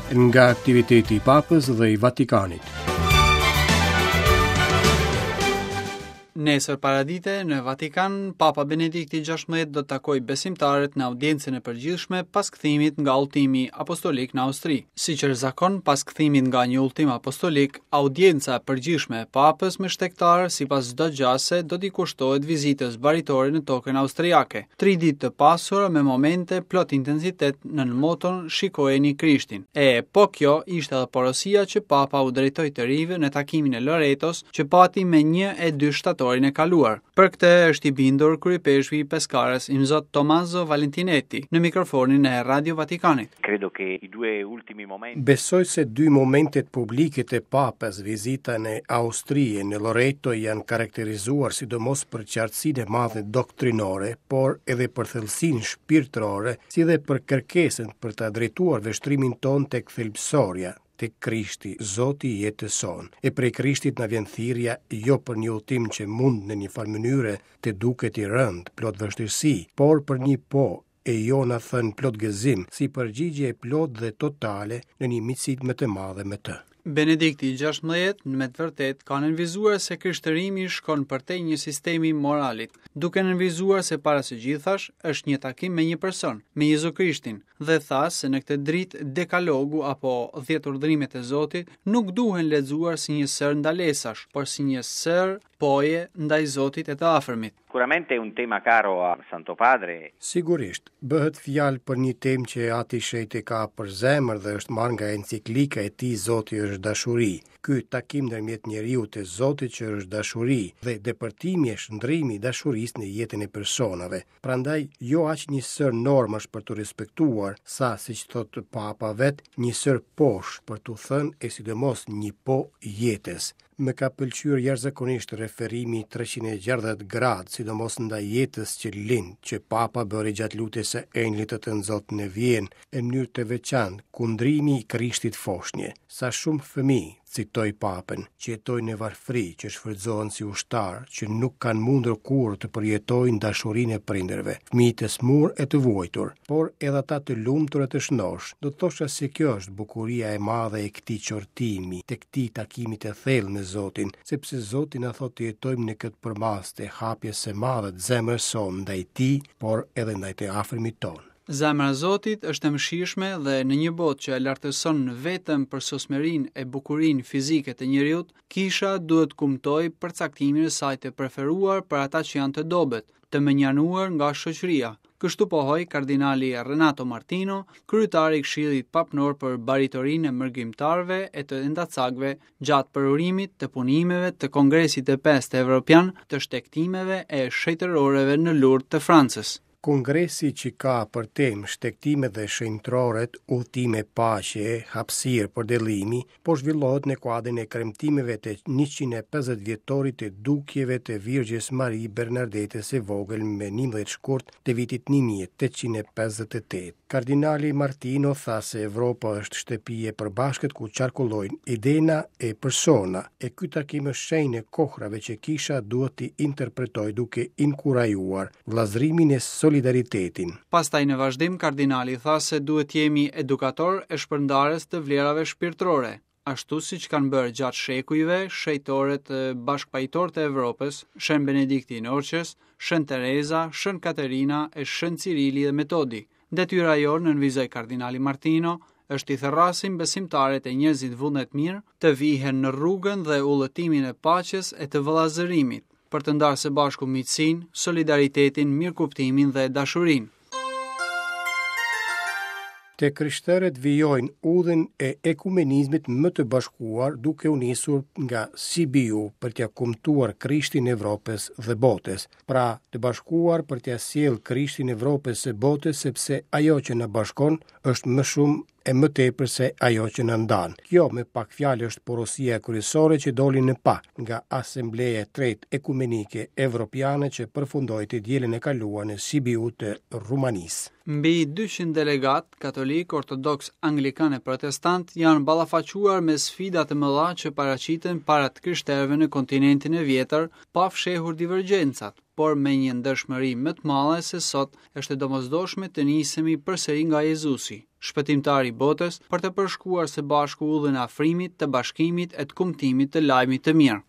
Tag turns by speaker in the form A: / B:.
A: Nga aktiviteti i Papës dhe i Vatikanit.
B: Nesër paradite në Vatikan, Papa Benedikti XVI do të takojë besimtarët në audiencën e përgjithshme pas kthimit nga udhëtimi apostolik në Austri. Siç është zakon, pas kthimit nga një udhëtim apostolik, audienca e përgjithshme e Papës me shtegtarë sipas çdo gjase do t'i kushtohet vizitës baritore në tokën austriake. Tri ditë të pasura me momente plot intensitet nën moton Shikojeni Krishtin. E, po kjo ishte edhe porosia që Papa u drejtoi të rinjve në takimin e Loretos që pati me 1 e 2 shtatorin e kaluar. Për këtë është i bindur kryeipeshkvi i Peskarës Imzot Tommaso Valentinetti në mikrofonin e Radio Vatikanit.
C: Credo che i due ultimi momenti
A: Besoj se dy momentet publike të Papës, vizita në Austri e në Loreto janë karakterizuar sidomos për qartësinë e madhe doktrinore, por edhe për thellësinë shpirtërore, si dhe për kërkesën për ta drejtuar vështrimin tonë tek thelbësorja, tek Krishti, Zoti i jetës sonë. E prej Krishtit na vjen thirrja jo për një udhëtim që mund në një farë mënyre të duket i rëndë, plot vështirësi, por për një po e jona thënë plot gëzim, si përgjigje e plotë dhe totale në një miqësi më të madhe me të.
B: Benedikti XVI me të vërtetë ka nënvizuar se krishtërimi shkon përtej një sistemi moralit, duke nënvizuar se para së gjithash është një takim me një person, me Jezu Krishtin, dhe tha se në këtë dritë dekalogu apo dhjetë urdhërimet e Zotit nuk duhen lexuar si një sërë ndalesash, por si një sërë poje ndaj Zotit e të afërmit.
C: Sicuramente è un tema caro al Santo Padre.
A: Sigurisht, bëhet fjalë për një temë që Ati i Shenjtë e ka për zemër dhe është marrë nga enciklika e tij Zoti është dashuri. Ky takim ndërmjet njeriut e Zotit që është dashuri dhe depërtimi e shndërrimi i dashurisë në jetën e personave. Prandaj, jo aq një sërë normash për t'u respektuar, sa, siç thotë Papa vetë, një sërë posh për t'u thënë e sidomos një po jetës. Më ka pëlqyer jashtëzakonisht referimi 360 gradë, sidomos ndaj jetës që lind, që Papa bëri gjatë lutjes së Engjëllit të Tënzot në Vjenë, e në mënyrë të veçantë, kundrimi i Krishtit foshnje. Sa shumë fëmijë, citoi Papën, që jetojnë në varfëri, që shfrytëzohen si ushtarë, që nuk kanë mundur kurrë të përjetojnë dashurinë e prindërve, fëmijë të sëmurë e të vuajtur, por edhe ata të lumtur e të shëndoshë. Do të thosha se kjo është bukuria e madhe e këtij qortimi, të këtij takimi të thellë me Zotin, sepse Zoti na thotë të jetojmë në këtë përmasë të hapjes së madhe të zemrës sonë ndaj Tij, por edhe ndaj të afërmit tonë.
B: Zemra e Zotit është e mëshirshme dhe në një botë që e lartëson vetëm përsosmërinë e bukurinë fizike të njeriut, kisha duhet të kumtojë përcaktimin e saj të preferuar për ata që janë të dobët, të mënjanuar nga shoqëria. Kështu pohoi kardinali Renato Martino, kryetar i Këshillit Papnor për Baritorinë e Mërgimtarëve e të Endacakëve gjatë përurimit të punimeve të Kongresit të Pestë Evropian të Shtegtimeve e Shenjtëroreve në Lourdes të Francës.
A: Kongresi që ka për temë shtegtimet dhe shenjtëroret, udhëtime paqeje, hapësirë përdëllimi, po zhvillohet në kuadrin e kremtimeve të 150 vjetorit të dukjeve të Virgjës Mari Bernardetës së Vogël më 11 shkurt të vitit 1858. Kardinali Martino tha se Evropa është shtëpi e përbashkët ku qarkullojnë idena e persona, e ky takim është shenjë e kohrave që kisha duhet t'i interpretojë duke inkurajuar vëllazërimin e solidaritetin.
B: Pastaj në vazhdim kardinali tha se duhet të jemi edukatorë e shpërndarës të vlerave shpirtërore, ashtu siç kanë bërë gjatë shekujve shenjtorët bashkëpajtorë të Evropës, Shën Benedikti i Norçës, Shën Tereza, Shën Katerina e Shën Cirili dhe Metodi. Detyra jonë, nënvizoi kardinali Martino, është t'i thërrasim besimtarët e njerëzit vullnetmirë të vihen në rrugën dhe udhëtimin e paqes e të vëllazërimit, për të ndarë së bashku miqësinë, solidaritetin, mirëkuptimin dhe dashurinë.
A: Të krishterët vijojnë udhën e ekumenizmit më të bashkuar duke u nisur nga Sibiu për t'ia kumtuar Krishtin Evropës dhe botës. Pra, të bashkuar për t'ia sjellë Krishtin Evropës e botës sepse ajo që na bashkon është më shumë e më tepër se ajo që na ndan. Kjo me pak fjalë është porosia kryesore që doli në pah nga Asambleja e Tretë Ekumenike Evropiane që përfundoi të dielën e kaluar në Sibiu të Rumanisë.
B: Mbi 200 delegatë, katolikë, ortodoksë, anglikanë e protestantë janë ballafaquar me sfida të mëdha që paraqiten para të krishterëve në kontinentin e vjetër, pa fshehur divergjencat, por me një ndershmëri më të madhe se sot është e domosdoshme të nisemi përsëri nga Jezusi. Shpëtimtari i botës, për të përshkuar së bashku udhën e afrimit, të bashkimit e të kumtimit të lajmit të mirë.